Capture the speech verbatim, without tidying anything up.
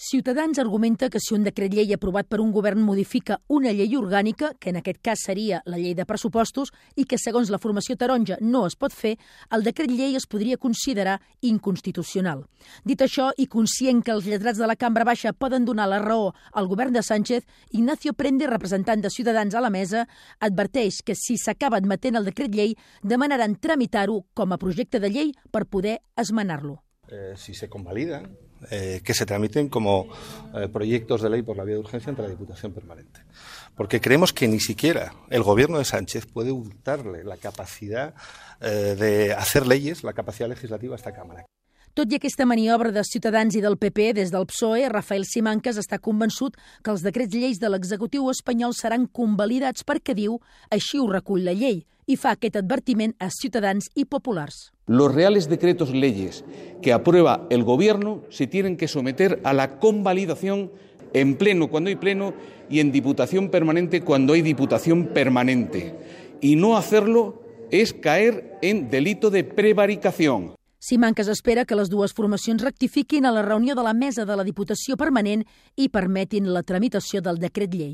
Ciutadans argumenta que si un decret llei aprovat per un govern modifica una llei orgànica, que en aquest cas seria la llei de pressupostos, i que segons la formació taronja no es pot fer, el decret llei es podria considerar inconstitucional. Dit això, i conscient que els lletrats de la Cambra Baixa poden donar la raó al govern de Sánchez, Ignacio Prende, representant de Ciutadans a la mesa, adverteix que si s'acaba admetent el decret llei, demanaran tramitar-ho com a projecte de llei per poder esmenar-lo. Eh, si se convalidan, eh, que se tramiten como eh, proyectos de ley por la vía de urgencia ante la Diputación Permanente. Porque creemos que ni siquiera el gobierno de Sánchez puede hurtarle la capacidad eh, de hacer leyes, la capacidad legislativa a esta Cámara. Tot i aquesta maniobra de Ciutadans i del P P des del P S O E, Rafael Simancas està convençut que els decrets lleis de l'executiu espanyol seran convalidats perquè, diu, així ho recull la llei, i fa aquest advertiment a ciutadans i populars. Los reales decretos leyes que aprueba el Gobierno se tienen que someter a la convalidación en pleno cuando hay pleno y en Diputación Permanente cuando hay Diputación Permanente. Y no hacerlo es caer en delito de prevaricación. Simancas espera que les dues formacions rectifiquin a la reunió de la mesa de la Diputació Permanent i permetin la tramitació del decret llei.